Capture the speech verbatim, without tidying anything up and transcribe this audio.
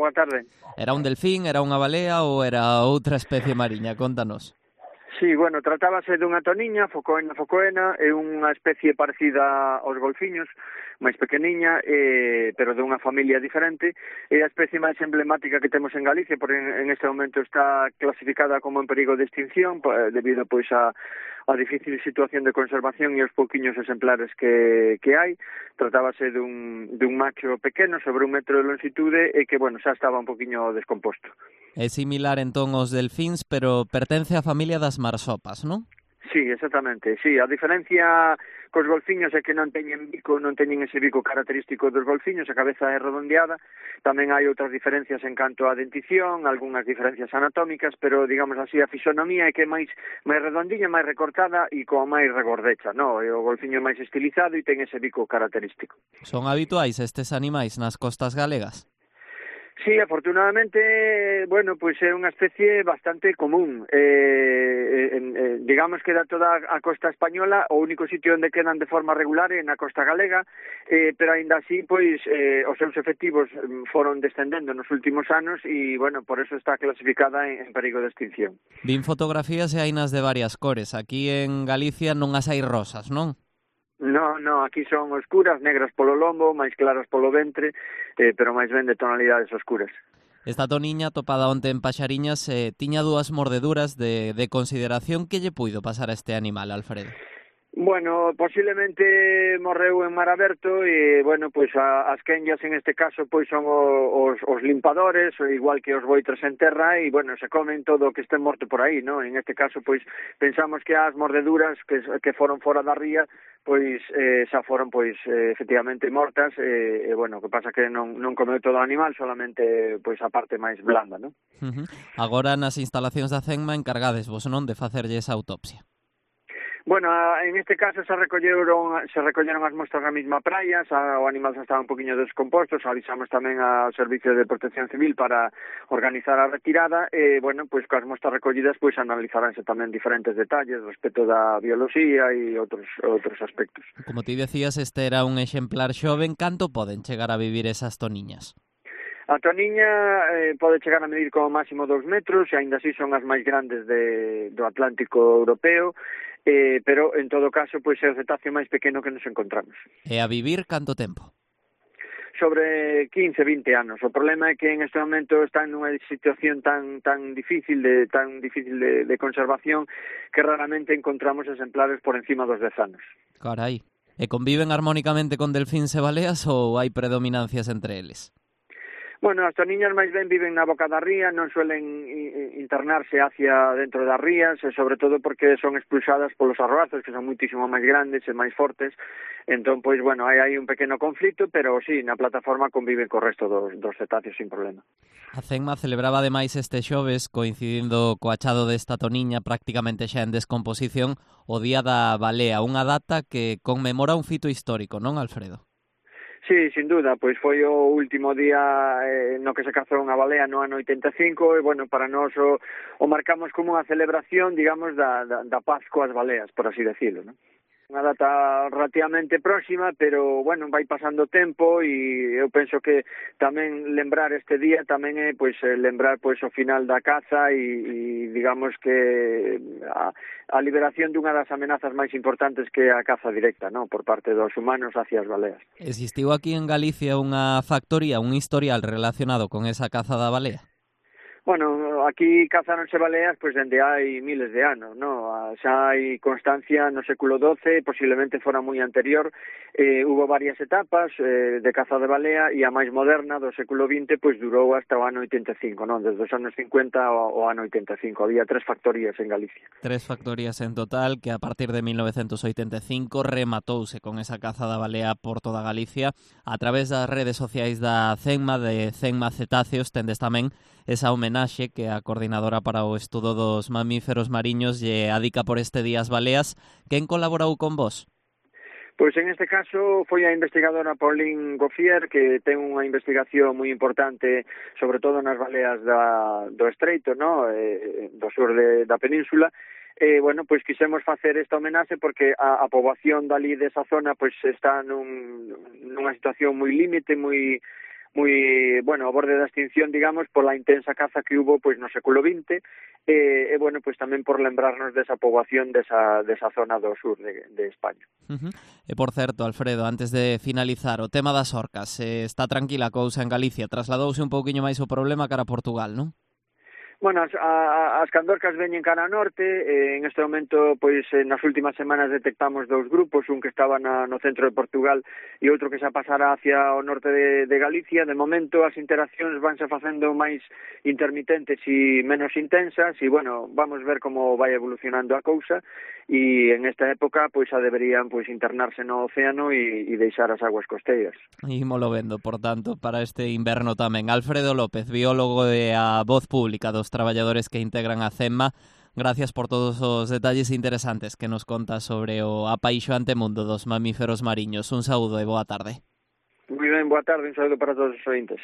boa tarde. Era un delfín, era unha balea ou era outra especie mariña? Contanos. Sí, bueno, tratábase dunha toniña, Focoena focoena, é unha especie parecida aos golfiños, máis pequeniña, eh, pero dunha familia diferente. É a especie máis emblemática que temos en Galicia, porque en, en este momento está clasificada como en perigo de extinción, debido pois a a difícil situación de conservación e os pouquiños exemplares que, que hai. Tratábase dun, dun macho pequeno, sobre un metro de longitude, e que, bueno, xa estaba un poquinho descomposto. É similar entón aos delfíns, pero pertence á familia das marsopas, non? Sí, exactamente, sí, a diferencia cos golfiños é que non teñen bico, non teñen ese bico característico dos golfiños, a cabeza é redondeada. Tamén hai outras diferencias en canto á dentición, algunhas diferencias anatómicas, pero, digamos así, a fisonomía é que é máis máis redondiña, máis recortada e coa máis regordecha, no? E o golfiño é máis estilizado e ten ese bico característico. Son habituais estes animais nas costas galegas? Sí, afortunadamente, bueno, pois é unha especie bastante común. Eh, eh, eh, digamos que da toda a costa española, o único sitio onde quedan de forma regular é na costa galega, eh, pero aínda así, pois, eh, os seus efectivos foron descendendo nos últimos anos e, bueno, por eso está clasificada en, en perigo de extinción. Vin fotografías e hainas de varias cores. Aquí en Galicia non as hai rosas, non? No, no, aquí son oscuras, negras polo lombo, máis claras polo ventre, eh, pero máis ben de tonalidades oscuras. Esta toniña, topada onte en Paxariñas, eh, tiña dúas mordeduras de, de consideración. Que lle puido pasar a este animal, Alfredo? Bueno, posiblemente morreu en mar aberto e, bueno, pois a, as quenllas en este caso pois son o, os, os limpadores, igual que os boitres en terra, e, bueno, se comen todo o que este morto por aí, non? En este caso, pois, pensamos que as mordeduras que, que foron fora da ría, pois, eh, xa foron, pois, eh, efectivamente mortas, e, eh, bueno, que pasa que non, non comeu todo o animal, solamente, pois, a parte máis blanda, non? Uh-huh. Agora, nas instalacións da CENMA, encargades vos, non, de facerlle esa autopsia? Bueno, en este caso se recolleron se recolleron as mostras na mesma praia, xa, o animal xa estaba un poquinho descomposto, xa avisamos tamén ao Servicio de Protección Civil para organizar a retirada, e, bueno, pois coas mostras recollidas, pois analizaránse tamén diferentes detalles respecto da bioloxía e outros outros aspectos. Como ti decías, este era un exemplar xoven. Canto poden chegar a vivir esas toniñas? A toniña eh, pode chegar a medir como máximo dous metros, e aínda así son as máis grandes de, do Atlántico Europeo, eh, pero en todo caso pois é o cetáceo máis pequeno que nos encontramos. E a vivir canto tempo? Sobre quince, vinte anos. O problema é que en este momento está en unha situación tan tan difícil de tan difícil de, de conservación que raramente encontramos exemplares por encima dos dez anos. Carai. E conviven armónicamente con delfíns e baleas ou hai predominancias entre eles? Bueno, as toniñas máis ben viven na boca da ría, non suelen internarse hacia dentro das rías, e sobre todo porque son expulsadas polos arroazos, que son muitísimo máis grandes e máis fortes. Entón, pois, bueno, hai aí un pequeno conflito, pero sí, na plataforma conviven co resto dos, dos cetáceos sin problema. A CENMA celebraba ademais este xoves, coincidindo co achado desta toniña prácticamente xa en descomposición, o Día da Balea, unha data que conmemora un fito histórico, non, Alfredo? Sí, sin duda, pois foi o último día eh, no que se cazou unha balea no ano oitenta e cinco, e, bueno, para nós o, o marcamos como unha celebración, digamos, da, da, da paz coas baleas, por así decirlo, non? Unha data relativamente próxima, pero, bueno, vai pasando tempo, e eu penso que tamén lembrar este día tamén é, pois, lembrar, pois, o final da caza e, e digamos que a, a liberación dunha das amenazas máis importantes que é a caza directa, non, por parte dos humanos hacia as baleas. Existiu aquí en Galicia unha factoría, un historial relacionado con esa caza da balea? Bueno, aquí cazáronse baleas pois dende hai miles de anos, no? Xa hai constancia no século doce, posiblemente fora moi anterior, eh, hubo varias etapas eh, de caza de balea, e a máis moderna do século vinte pois durou hasta o ano oitenta e cinco, non? Desde os anos cincuenta ao, ao ano oitenta e cinco, había tres factorías en Galicia. Tres factorías en total, que a partir de mil novecentos oitenta e cinco rematouse con esa caza da balea por toda Galicia. A través das redes sociais da CENMA, de CENMA Cetáceos, tendes tamén esa homenaxe que a coordinadora para o estudo dos mamíferos mariños lle adica por este día as baleas. Quen colaborou con vos? Pois en este caso foi a investigadora Pauline Gauffier, que ten unha investigación moi importante, sobre todo nas baleas da, do Estreito, no? eh, do sur de, da península. E, bueno, pois quisemos facer esta homenaxe porque a, a poboación dali desa zona pois está nun, nunha situación moi límite, moi moi, bueno, ao borde da extinción, digamos, pola intensa caza que hubo pois no século vinte, e, e bueno, pois tamén por lembrarnos desa poboación desa, desa zona do sur de, de España. Uh-huh. E por certo, Alfredo, antes de finalizar, o tema das orcas, eh, está tranquila a cousa en Galicia, trasladouse un pouquiño máis o problema cara a Portugal, non? Bueno, as, a, as candorcas veñen cara a norte, eh, en este momento, pois, eh, nas últimas semanas detectamos dous grupos, un que estaba na, no centro de Portugal e outro que xa pasara hacia o norte de, de Galicia. De momento, as interaccións vanse facendo máis intermitentes e menos intensas, e, bueno, vamos ver como vai evolucionando a cousa, e en esta época, pois, xa deberían, pois, internarse no océano e, e deixar as aguas costeiras. Ímolo vendo, por tanto, para este inverno tamén. Alfredo López, biólogo e a voz pública dos traballadores que integran a CEMMA, gracias por todos os detalles interesantes que nos conta sobre o apaixoante mundo dos mamíferos mariños. Un saúdo e boa tarde. Moi ben, boa tarde, un saúdo para todos os ointes.